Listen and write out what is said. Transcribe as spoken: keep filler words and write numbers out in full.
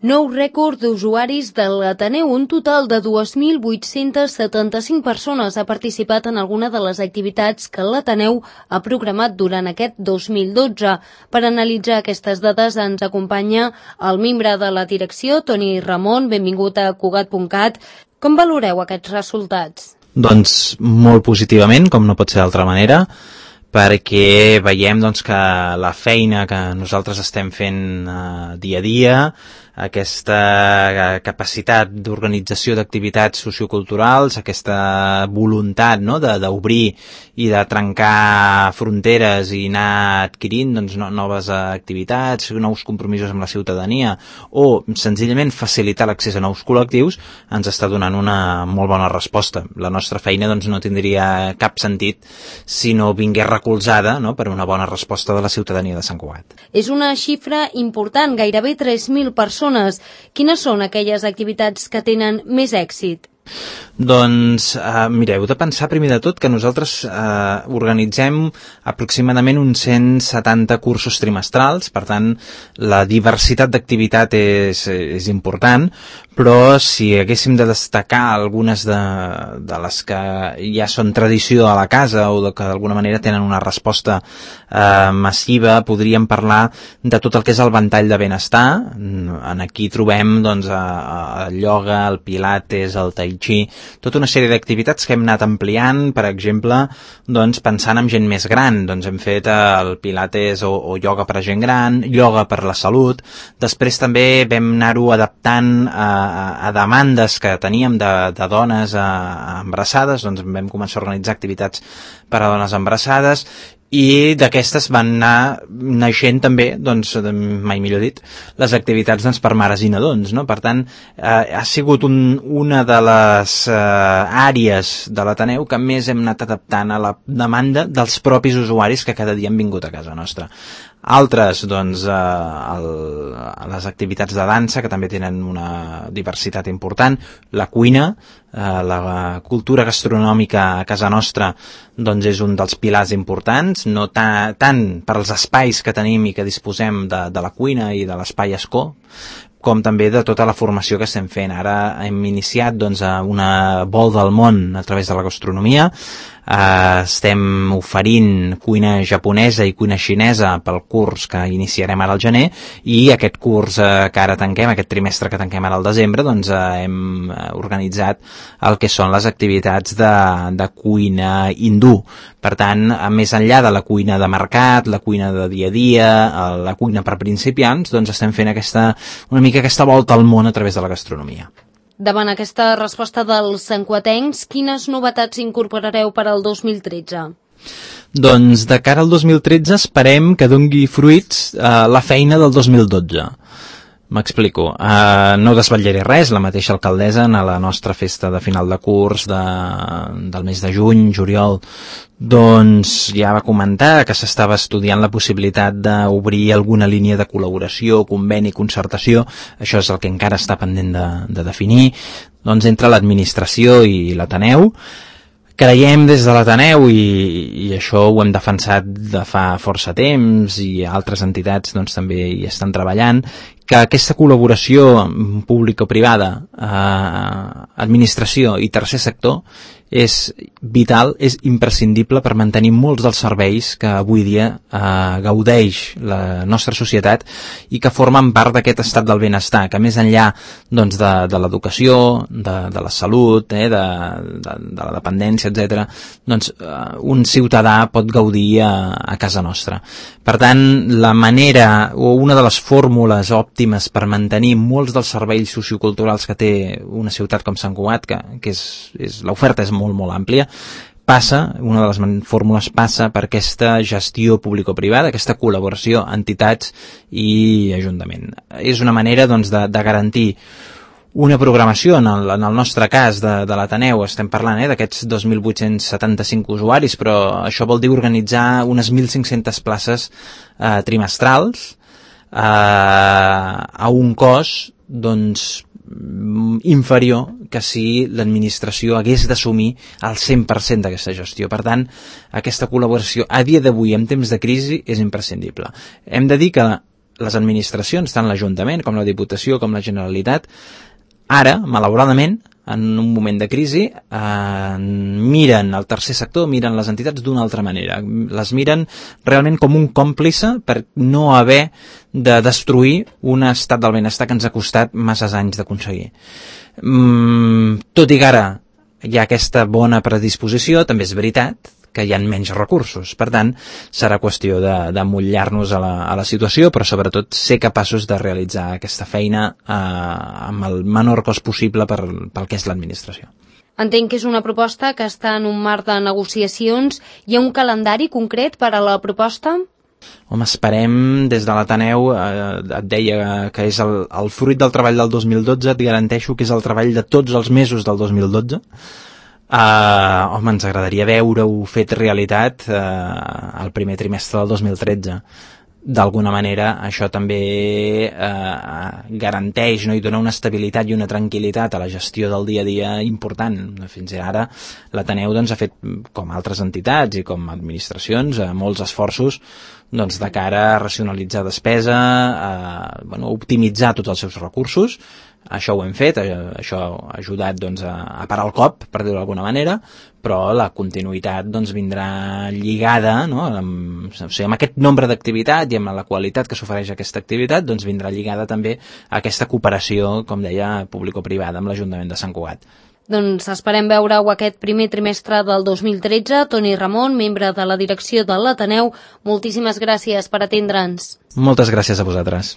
Nou rècord d'usuaris de l'Ateneu. Un total de dos mil vuit-cents setanta-cinc persones ha participat en alguna de les activitats que l'Ateneu ha programat durant aquest dos mil dotze. Per analitzar aquestes dades ens acompanya el membre de la direcció, Toni Ramon. Benvingut a Cugat punt cat. Com valoreu aquests resultats? Doncs molt positivament, com no pot ser d'altra manera, perquè veiem doncs, que la feina que nosaltres estem fent eh, dia a dia, aquesta capacitat d'organització d'activitats socioculturals, aquesta voluntat, no?, d'obrir i de trencar fronteres i anar adquirint doncs, no, noves activitats, nous compromisos amb la ciutadania o senzillament facilitar l'accés a nous col·lectius, ens està donant una molt bona resposta. La nostra feina doncs, no tindria cap sentit si no vingués recolzada, no?, per una bona resposta de la ciutadania de Sant Cugat. És una xifra important, gairebé tres mil persones. Quines són aquelles activitats que tenen més èxit? Doncs, eh, mireu, heu de pensar primer de tot que nosaltres eh, organitzem aproximadament uns cent setanta cursos trimestrals, per tant la diversitat d'activitat és, és important, però si haguéssim de destacar algunes de, de les que ja són tradició a la casa o de que d'alguna manera tenen una resposta eh, massiva, podríem parlar de tot el que és el ventall de benestar. En aquí trobem doncs, el ioga, el pilates, el tai chi, tota una sèrie d'activitats que hem anat ampliant, per exemple, doncs, pensant en gent més gran. Doncs hem fet el pilates o, o ioga per a gent gran, ioga per la salut. Després també vam anar-ho adaptant a, a demandes que teníem de, de dones a, a embarassades, doncs vam començar a organitzar activitats per a dones embarassades, i d'aquestes van anar naixent també, doncs, mai millor dit, les activitats doncs, per mares i nadons, no? Per tant, eh, ha sigut un, una de les eh, àrees de l'Ateneu que més hem anat adaptant a la demanda dels propis usuaris que cada dia han vingut a casa nostra. Altres, doncs, eh, el, les activitats de dansa, que també tenen una diversitat important, la cuina, eh, la cultura gastronòmica a casa nostra, doncs és un dels pilars importants, no ta, tant per als espais que tenim i que disposem de, de la cuina i de l'espai escó, com també de tota la formació que estem fent. Ara hem iniciat doncs, una volta al món a través de la gastronomia. Uh, estem oferint cuina japonesa i cuina xinesa pel curs que iniciarem ara al gener, i aquest curs uh, que ara tanquem, aquest trimestre que tanquem ara al desembre, doncs uh, hem organitzat el que són les activitats de, de cuina hindú. Per tant, més enllà de la cuina de mercat, la cuina de dia a dia, la cuina per principiants, doncs estem fent aquesta, una mica aquesta volta al món a través de la gastronomia. Davant aquesta resposta dels santcuatencs, quines novetats incorporareu per al dos mil tretze? Doncs de cara al dos mil tretze esperem que dongui fruits eh, la feina del dos mil dotze. M'explico. Uh, no desvetllaré res, la mateixa alcaldessa a la nostra festa de final de curs de, del mes de juny, juliol, doncs ja va comentar que s'estava estudiant la possibilitat d'obrir alguna línia de col·laboració, conveni, concertació. Això és el que encara està pendent de, de definir, doncs entre l'administració i l'Ateneu. Creiem des de l'Ateneu, i, i això ho hem defensat de fa força temps, i altres entitats doncs, també hi estan treballant, que aquesta col·laboració pública-privada, eh, administració i tercer sector és vital, és imprescindible per mantenir molts dels serveis que avui dia eh, gaudeix la nostra societat i que formen part d'aquest estat del benestar, que més enllà doncs, de, de l'educació, de, de la salut, eh, de, de, de la dependència, etcètera, doncs eh, un ciutadà pot gaudir a, a casa nostra. Per tant, la manera o una de les fórmules òptimes per mantenir molts dels serveis socioculturals que té una ciutat com Sant Cugat, que, que és, és, l'oferta és molt, molt àmplia, passa, una de les fórmules passa per aquesta gestió público-privada, aquesta col·laboració entitats i ajuntament. És una manera doncs, de, de garantir una programació, en el, en el nostre cas de, de l'Ateneu, estem parlant eh, d'aquests dos mil vuit-cents setanta-cinc usuaris, però això vol dir organitzar unes mil cinc-centes places eh, trimestrals eh, a un cost doncs, inferior que si l'administració hagués d'assumir el cent per cent d'aquesta gestió. Per tant, aquesta col·laboració a dia d'avui, en temps de crisi, és imprescindible. Hem de dir que les administracions, tant l'Ajuntament com la Diputació com la Generalitat, ara, malauradament, en un moment de crisi, eh, miren el tercer sector, miren les entitats d'una altra manera. Les miren realment com un còmplice per no haver de destruir un estat del benestar que ens ha costat masses anys d'aconseguir. Mm, tot i que ara hi ha aquesta bona predisposició, també és veritat que hi ha menys recursos. Per tant, serà qüestió de, de mullar-nos a la, a la situació, però sobretot ser capaços de realitzar aquesta feina eh, amb el menor cost possible per, pel que és l'administració. Entenc que és una proposta que està en un marc de negociacions. Hi ha un calendari concret per a la proposta? Home, esperem, des de l'Ateneu, eh, et deia que és el, el fruit del treball del dos mil dotze, et garanteixo que és el treball de tots els mesos del dos mil dotze. Uh, home, ens agradaria veure-ho fet realitat uh, el primer trimestre del dos mil tretze. D'alguna manera això també uh, garanteix, no, i dona una estabilitat i una tranquil·litat a la gestió del dia a dia important. Fins ara l'Ateneu doncs, ha fet, com altres entitats i com administracions, uh, molts esforços doncs, de cara a racionalitzar despesa, a bueno, optimitzar tots els seus recursos. Això ho hem fet, això ha ajudat doncs, a parar el cop, per dir-ho d'alguna manera, però la continuïtat doncs, vindrà lligada, no? amb, o sigui, amb aquest nombre d'activitat i amb la qualitat que s'ofereix aquesta activitat, doncs, vindrà lligada també a aquesta cooperació, com deia, público-privada amb l'Ajuntament de Sant Cugat. Doncs esperem veure-ho aquest primer trimestre del dos mil tretze. Toni Ramon, membre de la direcció de l'Ateneu, moltíssimes gràcies per atendre'ns. Moltes gràcies a vosaltres.